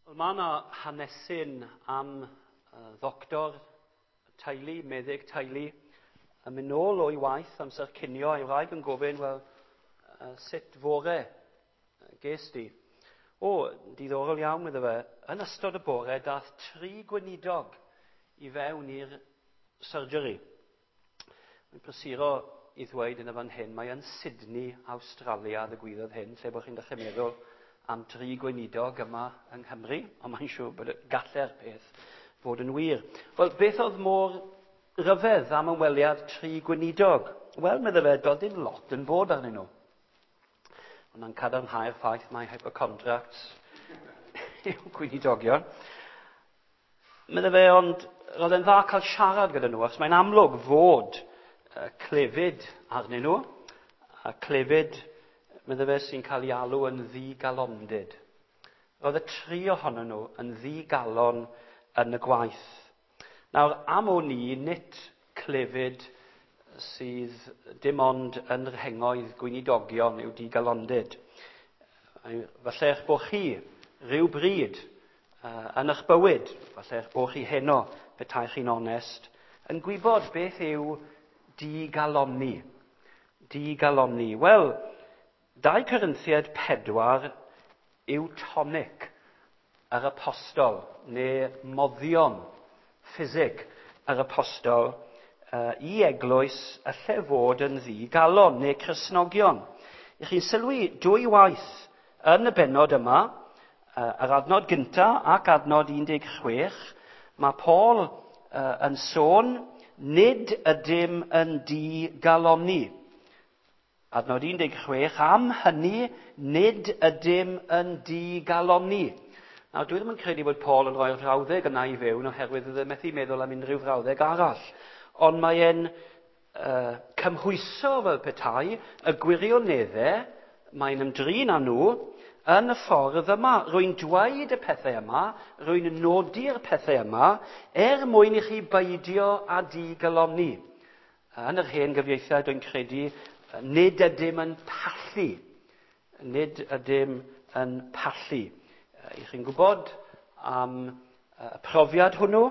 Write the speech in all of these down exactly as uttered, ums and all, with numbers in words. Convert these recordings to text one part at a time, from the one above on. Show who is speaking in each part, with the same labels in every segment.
Speaker 1: Wel, mae yna hanesyn am uh, ddoctor teulu, meddyg teulu, yn mynd nôl o'i waith amser cinio, a'i wraig yn gofyn, wel, uh, sut fore ges di? O, diddorol iawn, iddo fe. Yn ystod y bore, dath tri gweinidog i fewn i'r surgery. Mae'n prysuro i ddweud yn y fan hyn, mae yn Sydney, Awstralia, ddigwyddodd hyn, lle bod chi'n dechrau meddwl am dri gweinidog yma yng Nghymru, ond mae'n siŵr bod y galle'r peth fod yn wir. Wel, beth oedd mor ryfedd am ymweliad tri gweinidog? Wel, meddai fe, doedd dim lot yn bod arnyn nhw. Ond cadarnhau'r ffaith mai hypochondriacs yw gweinidogion. Meddai fe, ond roedd e'n dda cael siarad gyda nhw, achos mae'n amlwg fod clefyd arnyn nhw, a clefyd, meddai fe, sy'n cael ei alw yn ddigalondid. Roedd y tri ohonyn nhw yn ddigalon yn y gwaith. Nawr, am o'n i, nid clefyd sydd dim ond yn rhengoedd gweinidogion yw digalondid. Falle eich bod chi rhyw bryd uh, yn eich bywyd, falle eich bod chi heno, petai chi'n onest, yn gwybod beth yw digalonni. Digalonni. Wel, dau Corinthiaid pedwar yw tonic yr apostol, neu moddion ffisig yr apostol uh, i eglwys y lle fod yn ddigalon, neu Cristnogion. I chi'n sylwi dwy waith yn y bennod yma, uh, yr adnod gynta ac adnod un deg chwech, mae Paul uh, yn sôn, nid ydym yn digalonni. Adnod un deg chwech, am hynny, nid ydym yn digalonni. Nawr, dwi ddim yn credu bod Paul yn rhoi'r frawddeg yna i fewn, oherwydd oedd e methu meddwl am unrhyw frawddeg arall. Ond mae e'n uh, cymhwyso fel petai y gwirioneddau mae'n ymdrin â nhw yn y ffordd yma. Rwy'n dweud y pethau yma, rwy'n nodi'r pethau yma, er mwyn i chi beidio â digalonni. Yn yr hen gyfieithiad, dwi'n credu, nid ydym yn pallu. Nid ydym yn pallu. I chi'n gwybod am y profiad hwnnw,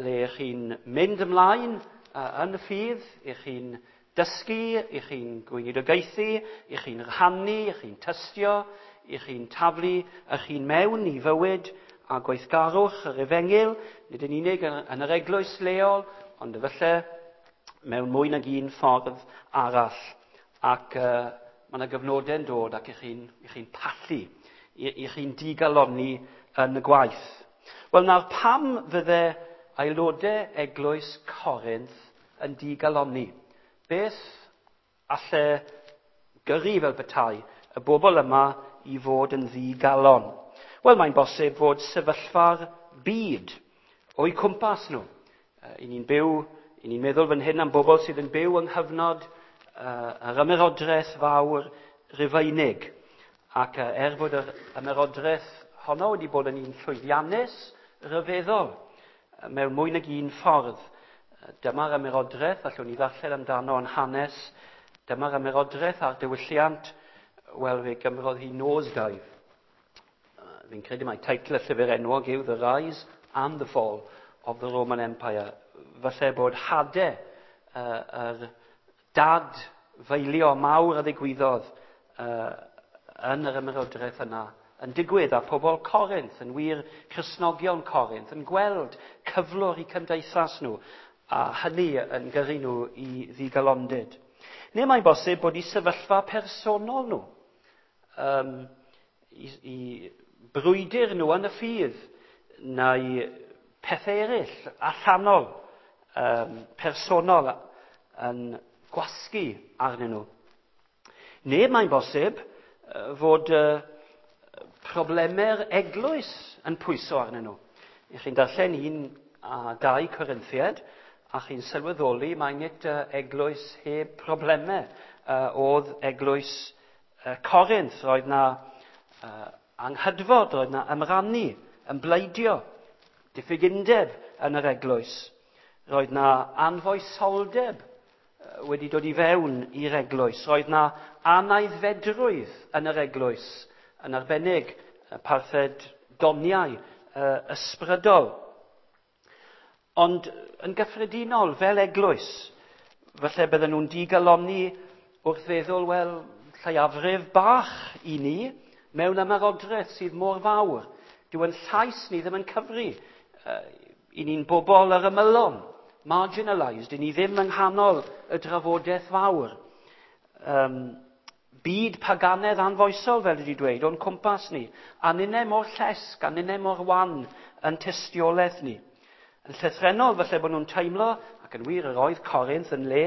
Speaker 1: le chi'n mynd ymlaen yn y ffydd, i chi'n dysgu, i chi'n gweinidogaethu, i chi'n rhannu, i chi'n tystio, i chi'n taflu, i chi'n mewn i fywyd a gweithgarwch yr efengyl, nid yn unig yn yr eglwys leol, ond efallai mewn mwy nag un ffordd arall. Ac uh, mae yna gyfnodau'n dod ac i chi'n chi pallu, i, i chi'n digalonni yn y gwaith. Wel nawr, pam fydde aelodau eglwys Corinth yn digalonni? Beth alle gyrru fel petai y bobl yma i fod yn ddigalon? Wel, mae'n bosib fod sefyllfa'r byd o'u cwmpas nhw. I ni'n byw, i ni'n meddwl fan hyn am bobl sydd yn byw yng nghyfnod uh, yr ymerodraeth fawr Rufeinig. Ac uh, er bod yr ymerodraeth honno wedi bod yn un llwyddiannus, rhyfeddol, mewn mwy nag un ffordd. Dyma'r ymerodraeth, allwn ni ddarllen amdano yn hanes, dyma'r ymerodraeth a'r diwylliant, wel, fe gymrodd hi nosedive. Fi'n credu mai teitl y llyfr enwog yw The Rise and the Fall of the Roman Empire. Falle bod hadau uh, yr dad feilio mawr a ddigwyddodd uh, yn yr ymerodraeth yna yn digwydd, a pobl Corinth, yn wir Cristnogion Corinth, yn gweld cyflwr i cymdeithas nhw, a hynny yn gyrru nhw i ddigalondid. Neu mae'n bosib bod i sefyllfa personol nhw, um, i, i brwydr nhw yn y ffydd, neu pethau eraill, allanol, um, personol, yn gwasgu arnyn nhw. Neu mae'n bosib fod uh, problemau'r eglwys yn pwyso arnyn nhw. I chi'n darllen un a dau Corinthiaid, a chi'n sylweddoli mai nid eglwys heb problemau uh, oedd eglwys uh, Corinth. Roedd na uh, anghydfod, roedd na ymrannu, ymbleidio, diffyg undeb yn yr eglwys. Roedd na anfoesoldeb wedi dod i fewn i'r eglwys. Roedd na anaeddfedrwydd yn yr eglwys, yn arbennig parthed doniau uh, ysbrydol. Ond yn gyffredinol, fel eglwys, falle bydden nhw'n digalonni wrth feddwl, wel, lleiafrif bach i ni mewn ymerodraeth sydd mor fawr. Dyw ein llais ni ddim yn cyfri. Uh, I ni'n bobl yr ymylon, marginalised, i ni ddim yng nghanol y drafodaeth fawr. Um, byd paganedd anfoesol, fel wedi dweud, o'n cwmpas ni. A ninne mor llesg, a ninne mor wan yn tystiolaeth ni. Yn llythrennol, falle bod nhw'n teimlo, ac yn wir yr oedd Corinth yn le,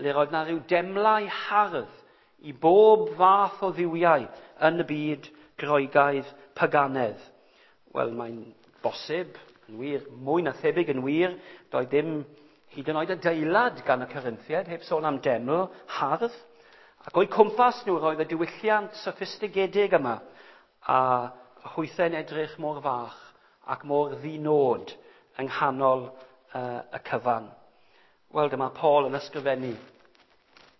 Speaker 1: le roedd na rhyw demlau hardd i bob fath o dduwiau yn y byd Groegaidd paganedd. Wel, mae'n bosib, yn wir, mwy na thebyg yn wir, doedd dim hyd yn oed adeilad gan y Corinthiaid, heb sôn am deml hardd. Ac o'u cwmpas nhw roedd y diwylliant soffistigedig yma, a hwythau'n edrych mor fach ac mor ddinod yng nghanol uh, y cyfan. Wel, dyma Paul yn ysgrifennu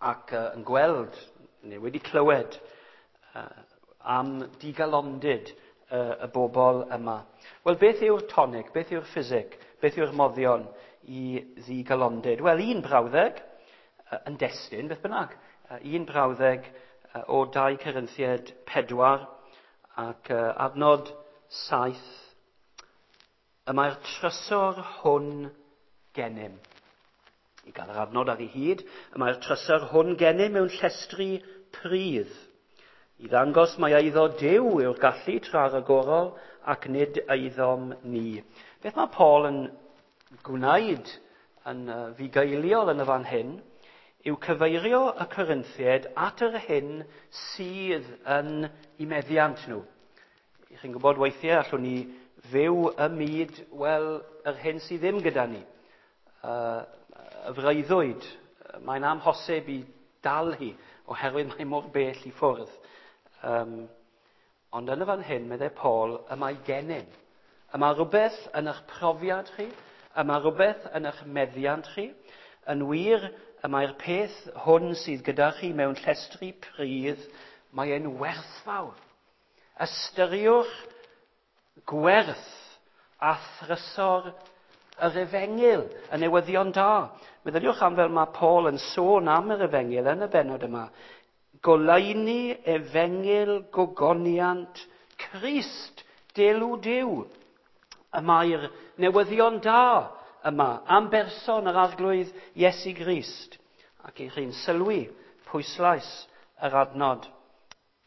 Speaker 1: ac uh, yn gweld, neu wedi clywed, uh, am digalondid uh, y bobl yma. Wel, beth yw'r tonic, beth yw'r ffisig, beth yw'r moddion i ddigalondid? Wel, un brawddeg uh, yn destun, beth bynnag, uh, un brawddeg uh, o dau Corinthiaid pedwar ac uh, adnod saith. Y mae'r trysor hwn gennym. I gael yr adnod ar ei hyd, y mae'r trysor hwn gennym mewn llestri pridd. I ddangos mai eiddo Duw yw'r gallu tra ragorol ac nid eiddom ni. Beth mae Paul yn gwneud yn fugeiliol yn y fan hyn yw cyfeirio y Corinthiaid at yr hyn sydd yn eu meddiant nhw. Chi'n gwybod weithiau allwn ni fyw y myd, wel, yr hyn sydd ddim gyda ni. Uh, y freuddwyd, mae'n amhosib i dal hi, oherwydd mae mor bell i ffwrdd. Um, ond yn y fan hyn, meddai Paul, y mae gennym. Y mae rhywbeth yn eich profiad chi, y mae rhywbeth yn eich meddiant chi. Yn wir, y mae'r peth hwn sydd gyda chi mewn llestri pridd, mae e'n werthfawr. Ystyriwch gwerth a thrysor yr efengyl, y newyddion da. Meddyliwch am fel mae Paul yn sôn am yr efengyl yn y bennod yma. Goleuni efengyl gogoniant Crist, delw Duw. Y mae'r newyddion da yma am berson yr Arglwydd Iesu Grist. Ac i chi'n sylwi pwyslais yr adnod.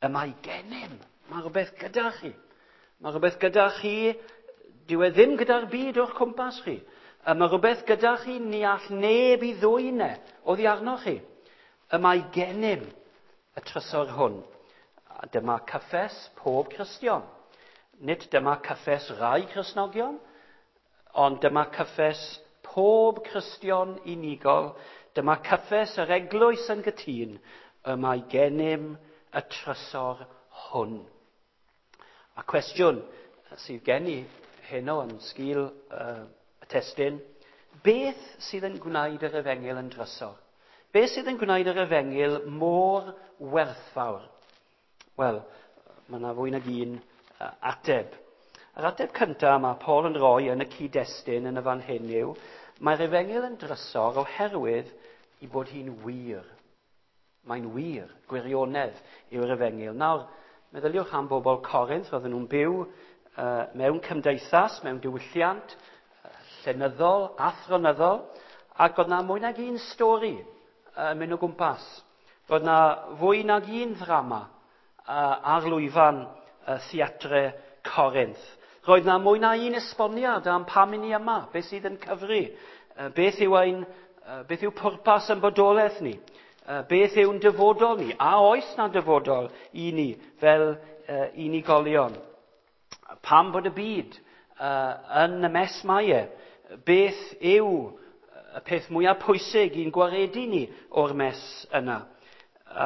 Speaker 1: Y mae gennym. Mae rhywbeth gyda chi. Mae rhywbeth gyda chi, dyw e ddim gyda'r byd o'ch cwmpas chi. Y mae rhywbeth gyda chi ni all neb i ddwyn e oddi arnoch chi. Y mae gennym y trysor hwn. A dyma cyffes pob Cristion. Nid dyma cyffes rai Cristnogion, ond dyma cyffes pob Cristion unigol. Dyma cyffes yr eglwys yn gytûn. Y mae gennym y trysor hwn. A cwestiwn sydd gen i heno yn sgil uh, y testun, beth sydd yn gwneud yr efengyl yn drysor? Beth sydd yn gwneud yr efengyl mor werthfawr? Wel, mae yna fwy nag un uh, ateb. Yr ateb cyntaf mae Paul yn rhoi yn y cyd-destun yn y fan hyn yw, mae'r efengyl yn drysor oherwydd i bod hi'n wir. Mae'n wir, gwirionedd yw'r efengyl. Nawr, meddyliwch am bobl Corinth, roedden nhw'n byw uh, mewn cymdeithas, mewn diwylliant, uh, llenyddol, athronyddol, ac oedd na mwy nag un stori uh, yn mynd o gwmpas. Roedd na fwy nag un ddrama uh, ar lwyfan uh, theatre Corinth. Roedd na mwy na un esboniad am pam i ni yma, beth sydd yn cyfri, uh, beth yw ein, uh, beth yw pwrpas yn bodolaeth ni. Beth yw'n dyfodol ni? A oes na dyfodol i ni fel uh, unigolion? Pam bod y byd uh, yn y mes mae e? Beth yw y peth mwyaf pwysig i'n gwaredu ni o'r mes yna?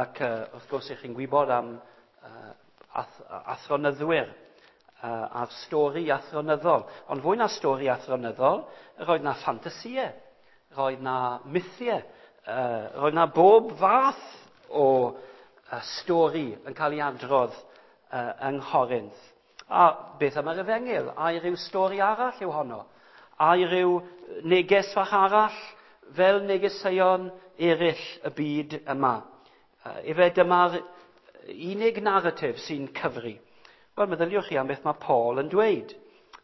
Speaker 1: Ac uh, wrth gwrs ych chi'n gwybod am uh, ath athronyddwyr uh, a'r stori athronyddol. Ond fwy na stori athronyddol, roedd na ffantasïau, roedd na mythiau. Uh, roedd na bob fath o uh, stori yn cael ei adrodd uh, yng Nghorinth. A beth am yr efengyl? Ai rhyw stori arall yw honno? Ai rhyw neges fach arall fel negeseuon eraill y byd yma? Efe dyma'r unig naratif sy'n cyfri. Wel, meddyliwch chi am beth mae Paul yn dweud.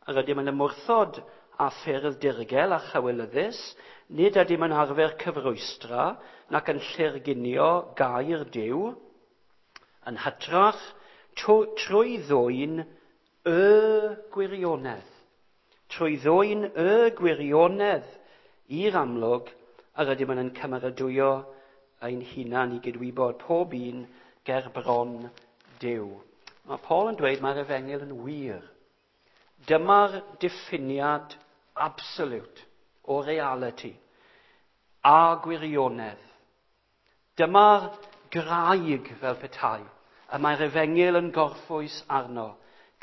Speaker 1: Yr ydym yn ymwrthod â ffyrdd dirgel a chywilyddus, nid ydym yn arfer cyfrwystra nac yn llurgunio gair Duw, yn hytrach trwy ddwyn y gwirionedd. Trwy ddwyn y gwirionedd i'r amlwg, yr ydym yn cymeradwyo ein hunan i gydwybod pob un ger bron Duw. Mae Paul yn dweud mae'r efengyl yn wir. Dyma'r diffiniad absolute o reality a gwirionedd. Dyma'r graig fel petai, y mae'r efengyl yn gorffwys arno,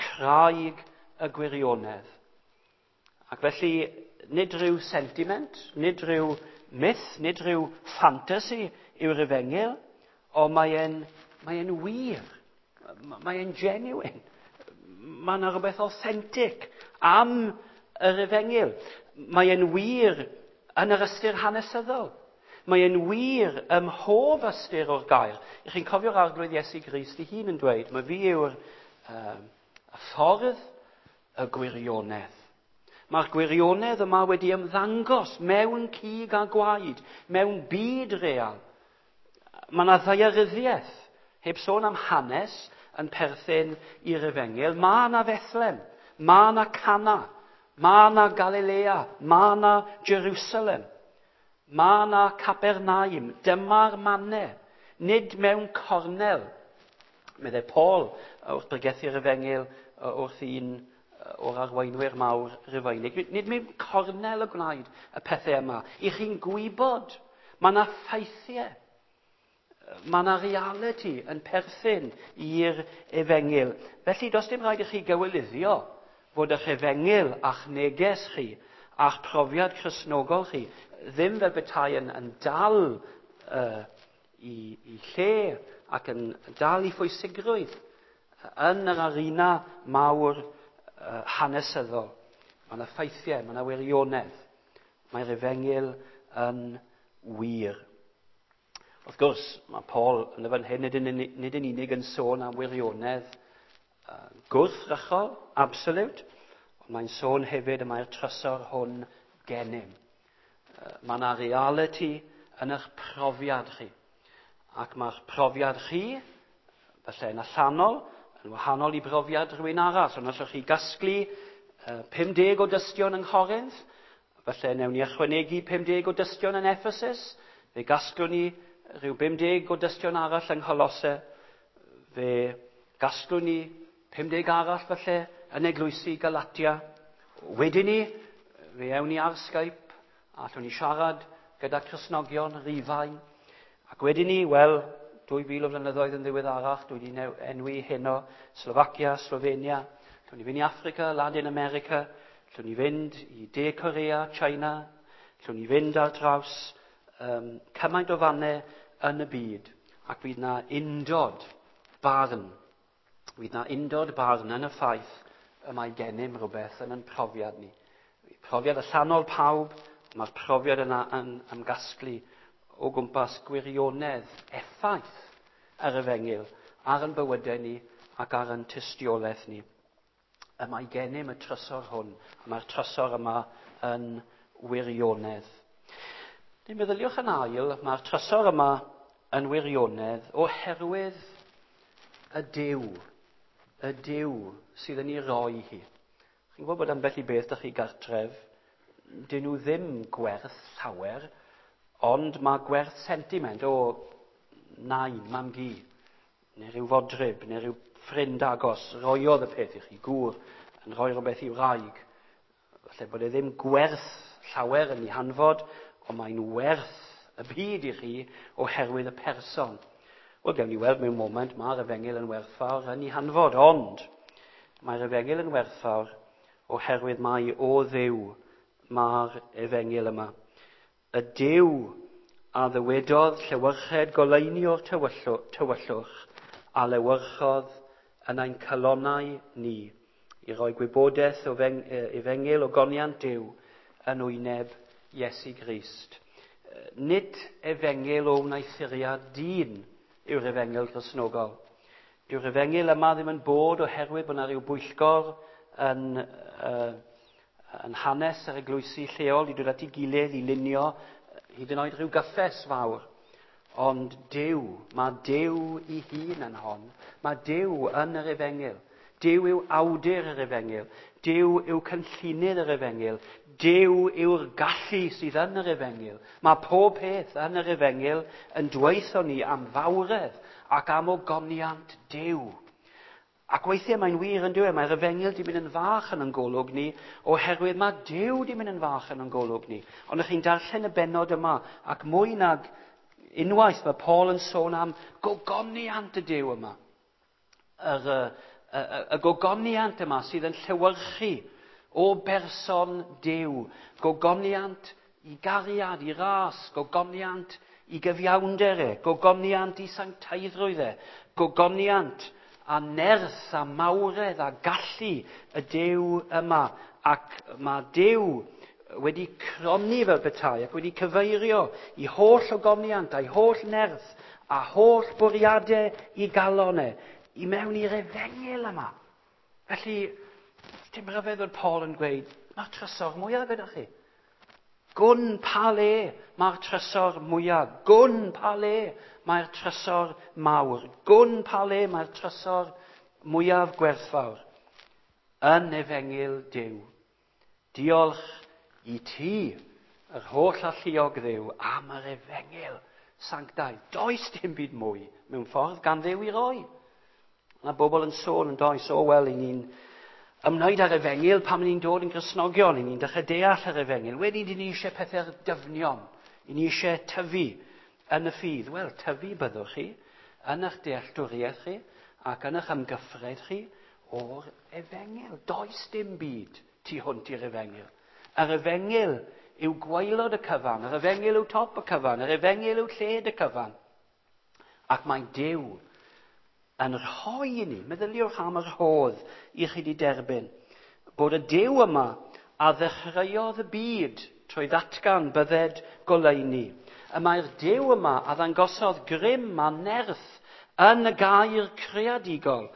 Speaker 1: craig y gwirionedd. Ac felly, nid rhyw sentiment, nid rhyw myth, nid rhyw ffantasi yw'r efengyl, ond mae'n mae e'n wir, mae e'n genuine. Mae yna rhywbeth authentic am yr efengyl. Mae e'n wir yn yr ystyr hanesyddol. Mae e'n wir ym mhob ystyr o'r gair. Ych chi'n cofio'r Arglwydd Iesu Grist ei hun yn dweud, mae fi yw'r um, y ffordd, y gwirionedd. Mae'r gwirionedd yma wedi ymddangos mewn cig a gwaed, mewn byd real. Mae yna ddaearyddiaeth, heb sôn am hanes, yn perthyn i'r efengyl. Mae yna Fethlem, mae yna Cana, mae yna Galilea, mae yna Jerusalem, mae yna Capernaum. Dyma'r mannau, nid mewn cornel. Meddai Paul wrth bregethu'r efengyl wrth un o'r arweinwyr mawr Rufeinig. Nid mewn cornel y gwnaed y pethau yma. I chi'n gwybod, mae yna ffeithiau. Mae yna reality yn perthyn i'r efengyl. Felly, does dim rhaid i chi gywilyddio fod eich efengyl a'ch neges chi a'ch profiad Cristnogol chi ddim fel petai yn, yn dal uh, i, i lle ac yn dal i phwysigrwydd yn yr arena mawr uh, hanesyddol. Mae yna ffeithiau, mae yna wirionedd. Mae'r efengyl yn wir. Wrth gwrs, mae Paul yn y fan hyn nid yn, nid yn unig yn sôn am wirionedd uh, gwrthrychol, absolute, ond mae'n sôn hefyd y mae'r trysor hwn gennym. Uh, mae yna reality yn eich profiad chi. Ac mae'ch profiad chi, falle yn allanol, yn wahanol i brofiad rhywun arall. Ond allwch chi gasglu uh, pum deg o dystion yng Nghorinth, falle newn ni ychwanegu pum deg o dystion yn Ephesus, fe gasglwn ni rhyw bum deg o dystion arall yng Ngholosse, fe gasglwn ni pum deg arall falle yn eglwysi Galatia. Wedyn ni, fe ewn ni ar Skype, a allwn ni siarad gyda Cristnogion Rufain. Ac wedyn ni, wel, dwy fil o flynyddoedd yn ddiweddarach, dwi wedi enwi heno Slovacia, Slovenia, allwn ni fynd i Africa, Latin America, allwn ni fynd i De Korea, China, allwn ni fynd ar draws um, cymaint o fannau yn y byd, ac fydd na undod barn. Fydd na undod barn yn y ffaith y mae gennym rhywbeth yn ein profiad ni. Profiad allanol pawb, mae'r profiad yna yn ymgasglu o gwmpas gwirionedd, effaith yr efengyl ar ein bywydau ni ac ar ein tystiolaeth ni. Y mae gennym y trysor hwn, a mae'r trysor yma yn wirionedd. Neu meddyliwch yn ail, mae'r trysor yma yn wirionedd oherwydd y Duw, y Duw sydd yn ei roi hi. Chi'n gwybod bod ambell i beth dych chi gartref, dyn nhw ddim gwerth llawer, ond mae gwerth sentiment o nain, mam-gu, neu rhyw fodryb, neu rhyw ffrind agos, roiodd y peth i chi, gŵr yn rhoi rhywbeth i'w wraig. Falle bod e ddim gwerth llawer yn ei hanfod, ond mae'n werth y byd i chi oherwydd y person. Wel, gewn ni weld mewn moment, mae'r efengyl yn werthfawr yn ei hanfod, ond mae'r efengyl yn werthfawr oherwydd mai o Dduw mae'r efengyl yma. Y Duw a ddywedodd llewyrched goleuni o'r tywyllwch a lewyrchodd yn ein calonnau ni i roi gwybodaeth o efengyl ogoniant Duw yn wyneb Iesu Grist. Nid efengyl o wneuthuriad dyn yw'r efengyl Gristnogol. Dyw'r efengyl yma ddim yn bod oherwydd bod yna rhyw bwyllgor yn, uh, yn hanes yr eglwysi lleol i dod at ei gilydd i lunio hyd yn oed rhyw gyffes fawr. Ond Duw, mae Duw ei hun yn hon. Mae Duw yn yr efengyl. Duw yw awdur yr efengyl. Duw yw cynllunydd yr efengyl. Duw yw'r gallu sydd yn yr efengyl. Mae pob peth yn yr efengyl yn dweutho ni am fawredd ac am ogoniant Duw. Ac weithiau mae'n wir yn dyw e, mae'r efengyl di mynd yn fach yn ein golwg ni, oherwydd mae Duw di mynd yn fach yn ein golwg ni. Ond ych chi'n darllen y bennod yma, ac mwy nag unwaith mae Paul yn sôn am gogoniant y Duw yma. Yr, y, y, y gogoniant yma sydd yn llewyrchu o berson Duw. Gogoniant i gariad, i ras, gogoniant i gyfiawnder e, gogoniant i sanctaiddrwydd e, gogoniant a nerth a mawredd a gallu y Duw yma. Ac mae Duw wedi cronni fel petai ac wedi cyfeirio i holl ogoniant a'i holl nerth a holl bwriadau i galon e, i mewn i'r efengyl yma. Felly, dim rhyfedd fod Paul yn gweud, mae'r trysor mwyaf gyda chi. Gwn pa le mae'r trysor mwyaf. Gwn pa le mae'r trysor mawr. Gwn pa le mae'r trysor mwyaf gwerthfawr. Yn efengyl Duw. Diolch i ti, yr holl alluog Dduw, am yr efengyl sanctaidd. Does dim byd mwy mewn ffordd gan Dduw i roi. Mae bobl yn sôn yn does, o wel, i ni'n ymwneud â'r efengyl pan ni'n dod yn Gristnogion, i ni'n dechrau deall yr efengyl. Wedyn, ni eisiau pethau dyfnion, i ni eisiau tyfu yn y ffydd. Wel, tyfu byddwch chi, yn eich dealltwriaeth chi, ac yn eich ymgyffred chi o'r efengyl. Does dim byd tu hwnt i'r efengyl. Yr efengyl yw gwaelod y cyfan, yr efengyl yw top y cyfan, yr efengyl yw lled y cyfan. Ac mae Duw yn rhoi i ni, meddyliwch am yr rhodd i chi di derbyn, bod y Duw yma a ddechreuodd y byd trwy ddatgan bydded goleuni. Y mae'r Duw yma a ddangosodd grym a nerth yn y gair creadigol.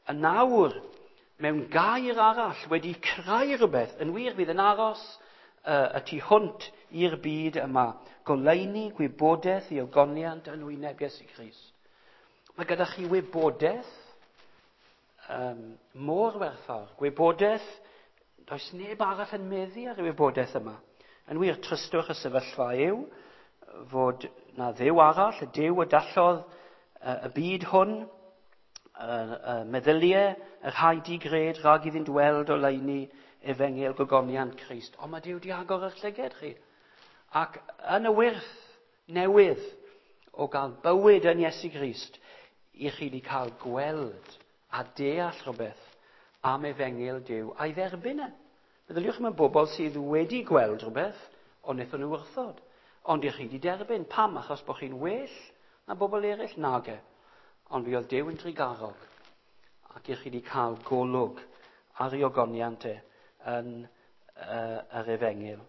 Speaker 1: Y nawr, mewn gair arall, wedi creu rhywbeth, yn wir fydd yn aros uh, y tu hwnt i'r byd yma. Goleuni, gwybodaeth i ogoniant yn wyneb Iesu Grist. Mae gyda chi wybodaeth um, mor werthfawr. Gwybodaeth, does neb arall yn meddu ar y wybodaeth yma. Yn wir, trystwch y sefyllfa yw fod na Dduw arall, y Duw y dallodd y byd hwn, y, y meddyliau, y rhai digred rhag iddynt weld oleuni efengyl gogoniant Crist. Ond mae Duw di agor eich llyged chi. Ac yn y wyrth newydd o gael bywyd yn Iesu Grist, i chi wedi cael gweld a deall rhywbeth am efengyl Duw a'i dderbyn e. Meddyliwch am y bobl sydd wedi gweld rhywbeth, ond wnaethon nhw wrthod. Ond i chi wedi derbyn. Pam? Achos bod chi'n well na bobl eraill? Nage. Ond fi oedd Duw yn drugarog ac i chi wedi cael golwg ar ei ogoniant e yn uh, yr efengyl.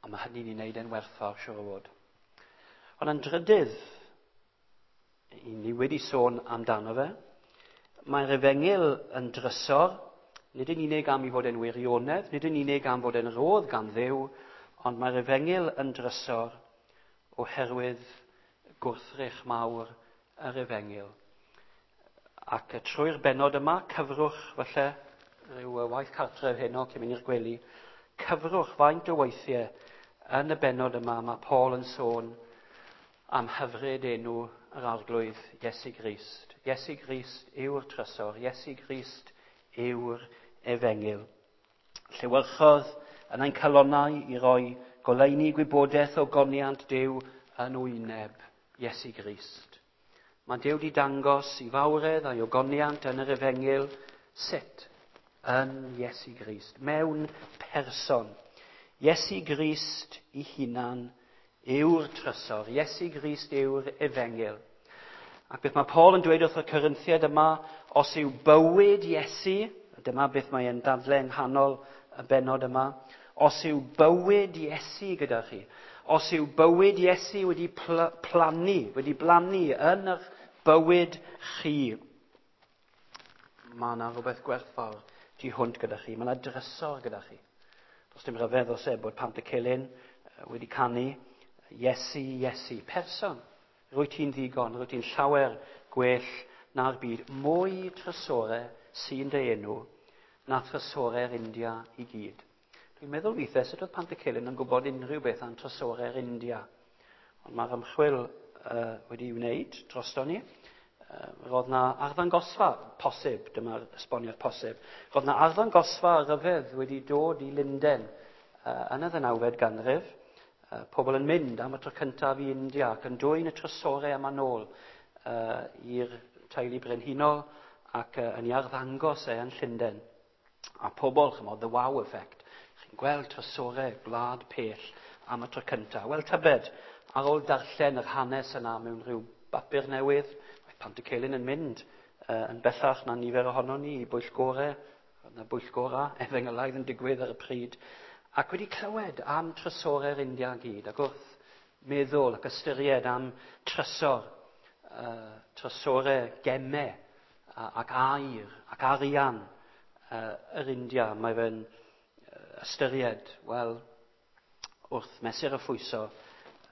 Speaker 1: A mae hynny'n ei wneud e'n werthfawr, siŵr o fod. Ond yn drydydd, i ni wedi sôn amdano fe, mae'r efengyl yn drysor, nid yn unig am i fod yn wirionedd, nid yn unig am fod yn rodd gan Dduw, ond mae'r efengyl yn drysor oherwydd gwrthrych mawr yr efengyl. Ac trwy'r bennod yma, cyfrwch falle, rhyw waith cartref heno cyn mynd i'r gwely, cyfrwch faint o weithiau yn y bennod yma mae Paul yn sôn am hyfryd enw yr Arglwydd Iesu Grist. Iesu Grist yw'r trysor, Iesu Grist yw'r efengyl. Llewyrchodd yn ein calonnau i roi goleuni gwybodaeth o goniant Duw yn wyneb Iesu Grist. Mae Duw wedi dangos i fawredd a'i ogoniant yn yr efengyl sut yn Iesu Grist, mewn person. Iesu Grist ei hunan yw'r trysor, Iesu Grist yw'r efengyl. Ac beth mae Paul yn dweud wrth y Corinthiaid yma, Os yw bywyd Iesu, dyma beth mae e'n dadle yng nghanol y bennod yma, os yw bywyd Iesu gyda chi, os yw bywyd Iesu wedi pl- plannu, wedi blannu yn eich bywyd chi, mae yna rhywbeth gwerthfawr tu hwnt gyda chi. Mae yna drysor gyda chi. Does dim rhyfedd os e bod Pantycelyn wedi canu Iesu, Iesu, person. Rwyt ti'n ddigon, rwyt ti'n llawer gwell na'r byd. Mwy trysore sy'n dy enw na trysore'r India i gyd. Dwi'n meddwl weithiau sut oedd Pantycelyn yn gwybod unrhyw beth am trysore'r India. Ond mae'r ymchwil uh, wedi wneud drosto ni. Uh, roedd na arddangosfa posib, dyma'r esboniad posib. Roedd na arddangosfa ryfedd wedi dod i Lunden uh, yn y ddeunawfed ganrif. Uh, pobl yn mynd am y tro cyntaf i India ac yn dwyn y trysorau yma nôl uh, i'r teulu brenhinol ac uh, yn ei arddangos e yn Llundain. A pobl, chymod, the wow effect. Chi'n gweld trysorau gwlad pell am y tro cyntaf. Wel, tybed, ar ôl darllen yr hanes yna mewn rhyw bapur newydd, mae Pantycelyn yn mynd uh, yn bellach na nifer ohonon ni i bwyllgorau, na bwyllgora efengylaidd yn digwydd ar y pryd, ac wedi clywed am trysorau'r India gyd, ac wrth meddwl ac ystyried am trysor, uh, trysorau gemau ac aur ac arian uh, yr India, mae fe'n ystyried, wel, wrth mesur y phwyso,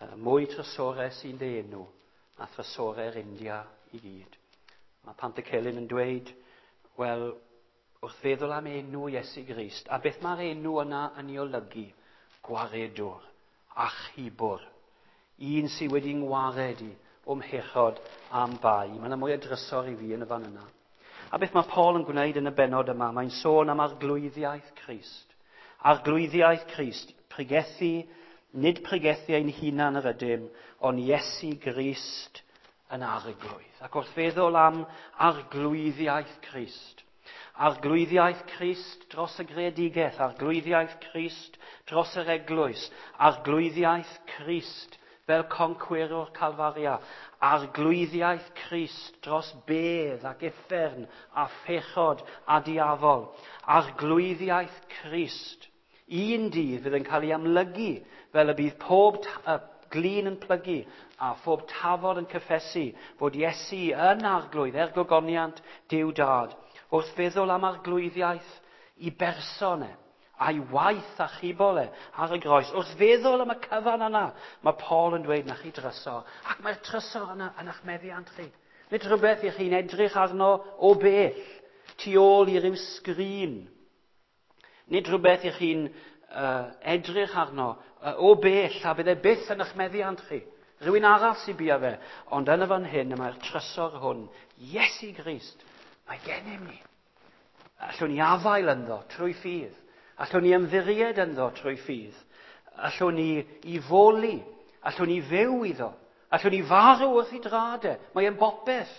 Speaker 1: uh, mwy trysorau sy'n dy enw na thrysorau'r India i gyd. Mae Pantycelyn yn dweud, wel, wrth feddwl am enw Iesu Grist, a beth mae'r enw yna yn ei olygu? Gwaredwr, achubwr, un sydd wedi ngwared i o'm mhechod am bai. Mae yna mwy o drysor i fi yn y fan yna. A beth mae Paul yn gwneud yn y bennod yma? Mae'n sôn am arglwyddiaeth Crist. Arglwyddiaeth Crist, pregethu, nid pregethu ein hunan yr ydym, ond Iesu Grist yn arglwydd. Ac wrth feddwl am arglwyddiaeth Crist, arglwyddiaeth Crist dros y greadigaeth, arglwyddiaeth Crist dros yr eglwys, arglwyddiaeth Crist fel concwerwr Calfaria, arglwyddiaeth Crist dros bedd ac uffern a phechod a diafol, arglwyddiaeth Crist. Un dydd fydd yn cael ei amlygu fel y bydd pob ta- glin yn plygu a phob tafod yn cyffesu fod Iesu yn arglwydd er gogoniant Duw Dad. Wrth feddwl am arglwyddiaeth i berson e, a'i waith achubol e ar y groes. Wrth feddwl am y cyfan yna, mae Paul yn dweud na chi drysor. Ac mae'r trysor yna yn eich meddiant chi. Nid rhywbeth i chi'n edrych arno o bell, tu ôl i ryw sgrin. Nid rhywbeth i chi'n uh, edrych arno uh, o bell a bydd e byth yn eich meddiant chi. Rhywun arall sy'n bia fe. Ond yn y fan hyn, y mae'r trysor hwn, Iesu Grist, mae gennym ni. Allwn ni afael ynddo trwy ffydd. Allwn ni ymddiried ynddo trwy ffydd. Allwn ni i foli. Allwn ni fyw iddo. Allwn ni farw wrth i drad e. Mae e'n bopeth,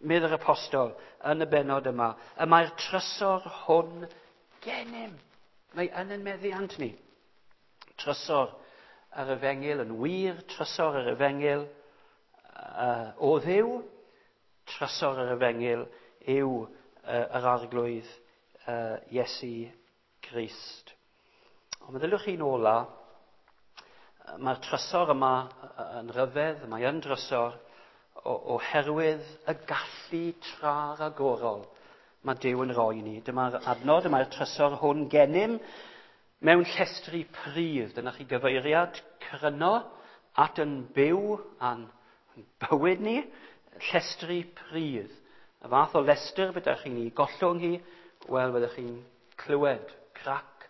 Speaker 1: medd yr apostol yn y bennod yma. Y mae'r trysor hwn gennym. Mae yn ein meddiant ni. Trysor yr efengyl yn wir, trysor yr efengyl uh, o Dduw, trysor yr efengyl yw uh, yr arglwydd uh, Iesu Grist. Ond meddyliwch chi'n ola, mae'r trysor yma yn ryfedd, mae yn drysor oherwydd y gallu tra-ragorol mae Duw yn rhoi ni. Dyma'r adnod, mae'r trysor hwn gennym mewn llestri pridd. Dyna chi gyfeiriad cryno at yn byw a'n bywyd ni, llestri pridd. Y fath o lestr byddech chi'n ei gollwng hi, wel, byddech chi'n clywed crac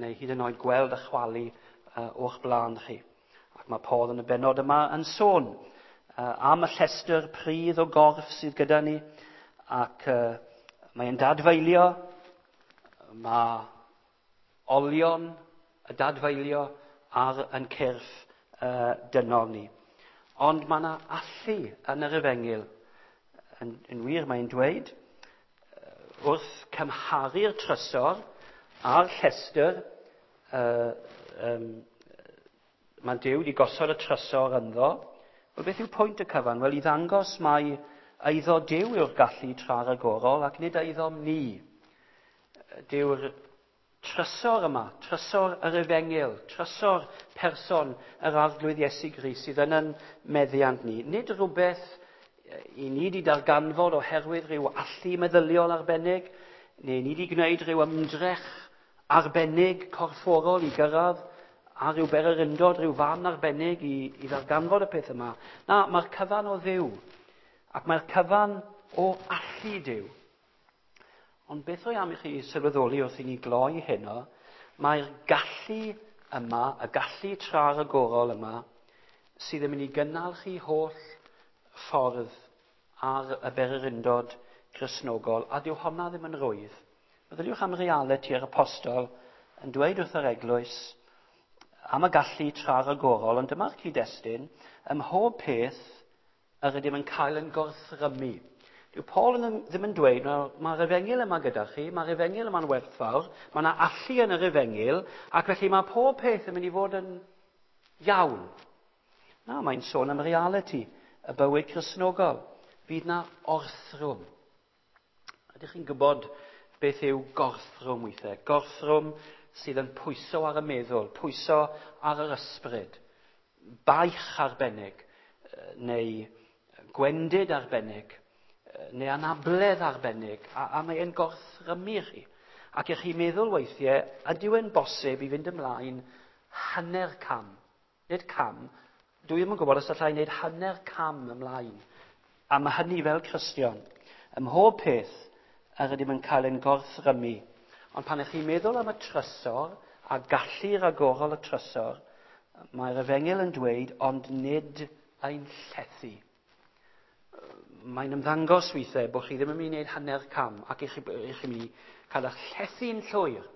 Speaker 1: neu hyd yn oed gweld y chwalu uh, o'ch blaen chi. Ac mae Paul yn y bennod yma yn sôn uh, am y llestr pridd o gorff sydd gyda ni, ac uh, mae'n dadfeilio, mae olion y dadfeilio ar yn cyrff uh, dynol ni. Ond mae yna allu yn yr efengyl. Yn, yn wir, mae'n dweud, wrth cymharu'r trysor a'r llestr, uh, um, mae Duw wedi gosod y trysor ynddo. Wel, beth yw pwynt y cyfan? Wel, i ddangos mai Eiddo Duw yw'r gallu tra-ragorol ac nid eiddom ni. Dyw'r trysor yma, trysor yr efengyl, trysor person yr Arglwydd Iesu Grist sydd yn yn meddiant ni. Nid rhywbeth i ni wedi darganfod oherwydd rhyw allu meddyliol arbennig, neu ni wedi gwneud rhyw ymdrech arbennig corfforol i gyrraedd a rhyw bererindod, rhyw fan arbennig i, i ddarganfod y peth yma. Na, mae'r cyfan o Dduw, ac mae'r cyfan o allu Duw. Ond beth o'i am i chi sylweddoli wrth i ni gloi heno, mae'r gallu yma, y gallu tra-ragorol yma, sydd yn mynd i gynnal chi holl ffordd ar y bererindod Gristnogol, a dyw honna ddim yn rwydd. Meddyliwch am realiti yr apostol yn dweud wrth yr eglwys am y gallu tra-ragorol, ond dyma'r cyd-destun, ym mhob peth yr ydym yn cael yn gorthrymu. Dyw Paul yn, ddim yn dweud, mae'r efengyl yma gyda chi, mae'r efengyl yma'n werthfawr, mae yna allu yn yr efengyl, ac felly mae pob peth yn mynd i fod yn iawn. Na, mae'n sôn am realiti, y bywyd Cristnogol. Fydd na orthrwm. Ydych chi'n gwybod beth yw gorthrwm weithiau? Gorthrwm sydd yn pwyso ar y meddwl, pwyso ar yr ysbryd, baich arbennig, neu gwendid arbennig, neu anabledd arbennig, a, a mae'n gorthrymu chi. Ac ych chi'n meddwl weithiau, ydyw e'n bosib i fynd ymlaen hanner cam? Nid cam, dwi ddim yn gwybod os allai wneud hanner cam ymlaen. A mae hynny fel Cristion. Ym mhob peth yr ydym yn cael ein gorthrymu. Ond pan ych chi'n meddwl am y trysor, a gallu ragorol y trysor, mae'r efengyl yn dweud, ond nid ein llethu. Mae'n ymddangos weithiau bod chi ddim yn mynd i wneud hanner cam ac i chi, i chi mynd i cael eich llethu'n llwyr.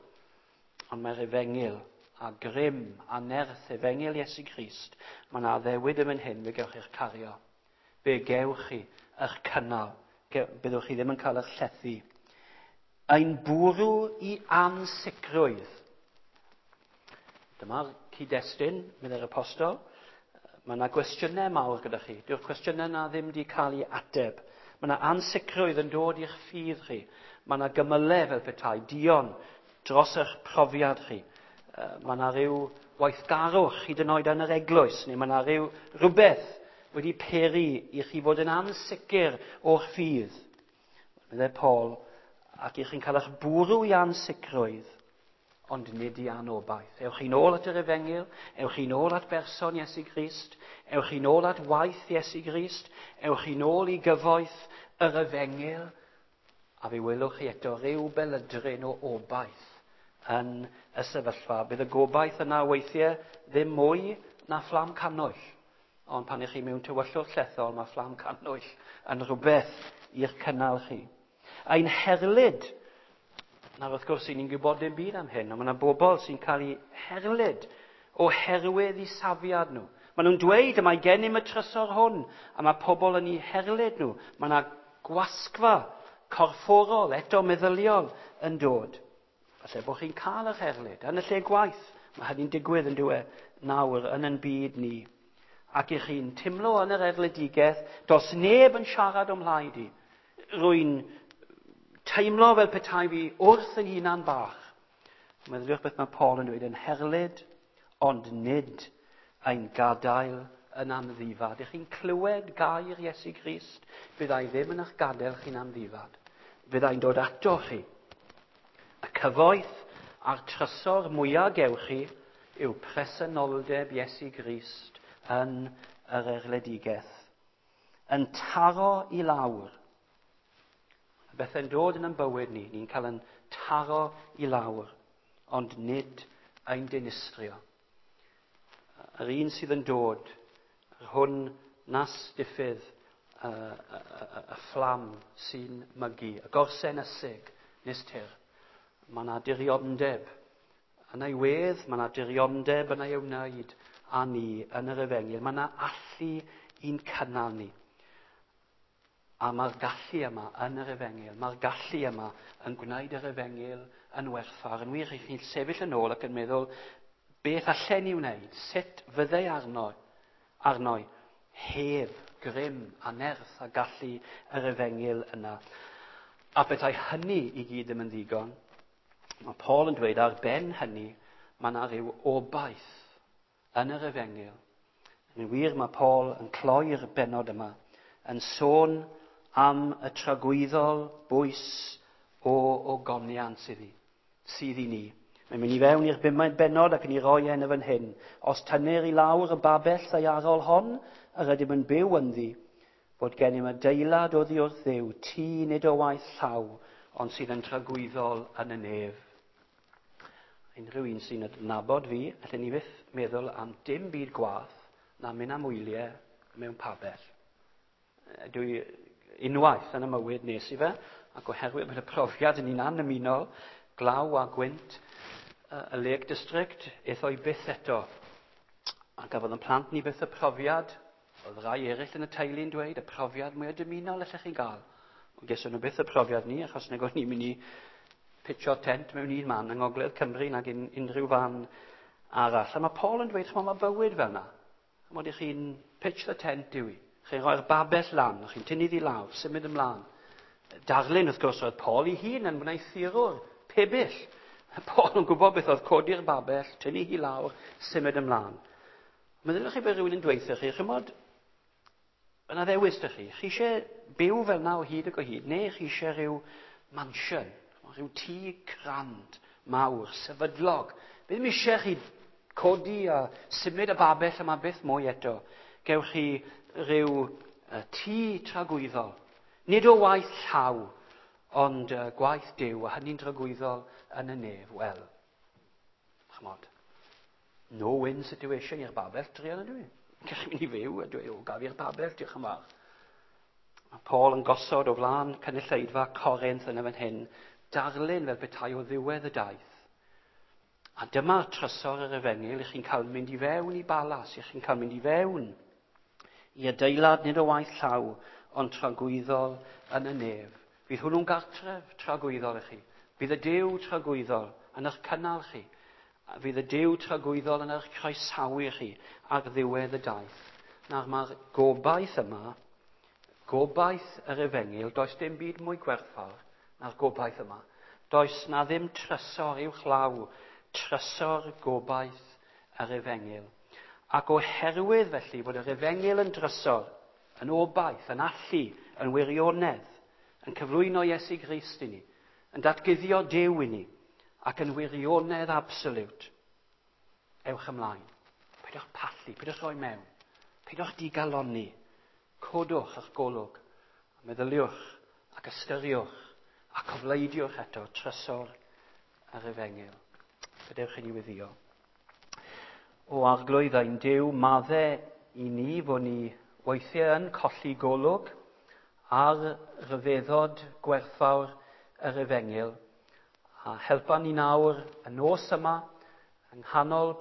Speaker 1: Ond mae'r efengyl a grym a nerth efengyl Iesu Grist, mae yna addewid yn hyn, fe gewch chi'ch cario. Fe gewch chi eich cynnal. Byddwch chi ddim yn cael eich llethu. Ein bwrw i ansicrwydd. Dyma'r cyd-destun, meddai'r apostol. Mae yna gwestiynau mawr gyda chi. Dyw'r cwestiynau yna ddim wedi cael ei ateb. Mae yna ansicrwydd yn dod i'ch ffydd chi. Mae yna gymylau fel petai, dion dros eich profiad chi. Mae yna rhyw weithgarwch hyd yn oed yn yr eglwys, neu mae yna rhyw rhywbeth wedi peri i chi fod yn ansicr o'ch ffydd. Meddai Paul, ac i chi'n cael eich bwrw i ansicrwydd, ond nid i anobaith. Ewch chi'n ôl at yr efengyl, ewch chi'n ôl at berson Iesu Grist, ewch chi'n ôl at waith Iesu Grist, ewch chi'n ôl i gyfoeth yr efengyl, a fe welwch chi eto ryw belydryn o obaith yn y sefyllfa. Bydd y gobaith yna weithiau ddim mwy na fflam cannwyll. Ond pan ych chi mewn tywyllwch llethol, mae fflam cannwyll yn rhywbeth i'ch cynnal chi. Ein herlid. Nawr wrth gwrs, ni'n gwybod dim byd am hyn, ond mae yna bobl sy'n cael eu herlid oherwydd eu safiad nhw. Maen nhw'n dweud y mae gennym y trysor hwn, a mae pobl yn eu herlid nhw. Mae yna gwasgfa corfforol, eto meddyliol, yn dod. Falle bod chi'n cael eich erlid yn y lle gwaith. Mae hynny'n digwydd yn dyw e nawr yn ein byd ni. Ac i chi'n teimlo yn yr erledigaeth, does neb yn siarad o'm mhlaid i. Rwy'n teimlo fel petai fi wrth yn hunan bach. Meddyliwch beth mae Paul yn dweud, yn herlid, ond nid ein gadael yn amddifad. Ych chi'n clywed gair Iesu Grist, byddai ddim yn eich gadael chi'n amddifad. Byddai'n dod ato chi. Y cyfoeth a'r trysor mwyaf gewch chi yw presenoldeb Iesu Grist yn yr erledigaeth. Yn taro i lawr. Bethau'n dod yn ein bywyd ni, ni'n cael yn taro i lawr, ond nid ein dinistrio. Yr un sydd yn dod, yr hwn nas diffydd y, y, y, y fflam sy'n mygu, y gorsen ysig nes tir. Mae yna diriondeb yn ei wedd, mae yna diriondeb yn ei wneud â ni yn yr efengyl. Mae yna allu i'n cynnal ni. A mae'r gallu yma yn yr efengyl, mae'r gallu yma yn gwneud yr efengyl yn werthfawr. Yn wir, chi'n sefyll yn ôl ac yn meddwl, beth allen ni wneud? Sut fyddai arno, arno heb grym a nerth a gallu yr efengyl yna. A petai hynny i gyd ddim yn ddigon, mae Paul yn dweud ar ben hynny, mae yna rhyw obaith yn yr efengyl. Yn wir, mae Paul yn cloi'r bennod yma, yn sôn am y tragwyddol bwys o ogoniant sydd i, sydd i ni. Mae'n mynd i fewn i'r bumed bennod ac yn ei roi e yn y fan hyn. Os tynnir i lawr y babell ddaearol hon, yr ydym yn byw ynddi, fod gennym adeilad oddi wrth Dduw, tŷ nid o waith llaw, ond sydd yn tragwyddol yn y nef. Unrhyw un sy'n adnabod fi, allen ni fyth meddwl am dim byd gwaeth na mynd am wyliau mewn pabell. Dwi unwaith yn y mywyd nes i fe, ac oherwydd bod y profiad yn un annymunol, glaw a gwynt, y Lake District, aeth o i byth eto. A gafodd yn plant ni byth y profiad, oedd rai eraill yn y teulu'n dweud, y profiad mwyaf dymunol allech chi gael. Ond geson nhw byth y profiad ni, achos nag o'n ni'n mynd i pitio tent mewn un man yng Ngogledd Cymru nag un, unrhyw fan arall. A mae Paul yn dweud, ch'mod, mae bywyd fel yna. Ch'mod, i chi'n pitch the tent yw i. Chi'n rhoi'r babell lan, chi'n tynnu ddi lawr, symud ymlaen. Darlun, wrth gwrs, oedd Paul ei hun yn wneuthurwr pebyll. Paul yn gwybod beth oedd codi'r babell, tynnu hi lawr, symud ymlaen. Meddyliwch chi bod rhywun yn dweud chi, ch'mod, yna ddewis ydych chi. Chi eisiau byw fel yna o hyd ac o hyd, neu chi eisiau rhyw mansion, rhyw tŷ crand mawr, sefydlog. Bydd ddim eisiau chi codi a symud y babell yma byth mwy eto. Gewch chi rhyw tŷ tragwyddol. Nid o waith llaw, ond gwaith Duw, a hynny'n tragwyddol yn y nef. Wel, ch'mod, no-win situation i'r babell, druan ydw i. Gallwn mynd i fyw a dweud, o, gaf i'r babell, diolch yn fawr. Mae Paul yn gosod o flaen cynulleidfa Corinth yn y fan hyn, darlun fel petai o ddiwedd y daith. A dyma'r trysor yr efengyl, i chi'n cael mynd i fewn i balas, i chi'n cael mynd i fewn i adeilad nid o waith llaw, ond tragwyddol yn y nef. Fydd hwnnw'n gartref tragwyddol i chi. Fydd y Duw tragwyddol yn eich cynnal chi. Fydd y Duw tragwyddol yn eich croesawu chi ar ddiwedd y daith. Nawr mae'r gobaith yma, gobaith yr efengyl, does dim byd mwy gwerthfawr na'r gobaith yma. Does na ddim trysor uwchlaw, trysor gobaith yr efengyl. Ac oherwydd felly bod yr efengyl yn drysor, yn obaith, yn allu, yn wirionedd, yn cyflwyno Iesu Grist i ni, yn datguddio Duw i ni, ac yn wirionedd absoliwt. Ewch ymlaen. Peidiwch pallu, peidiwch rhoi mewn, peidiwch digalonni. Codwch eich golwg, a meddyliwch ac ystyriwch a cofleidiwch eto trysor yr efengyl. Gadewch i ni weddïo. O Arglwydd ein Duw, madde i ni fod ni weithiau yn colli golwg ar ryfeddod gwerthfawr yr efengyl, a helpa ni nawr y nos yma yng nghanol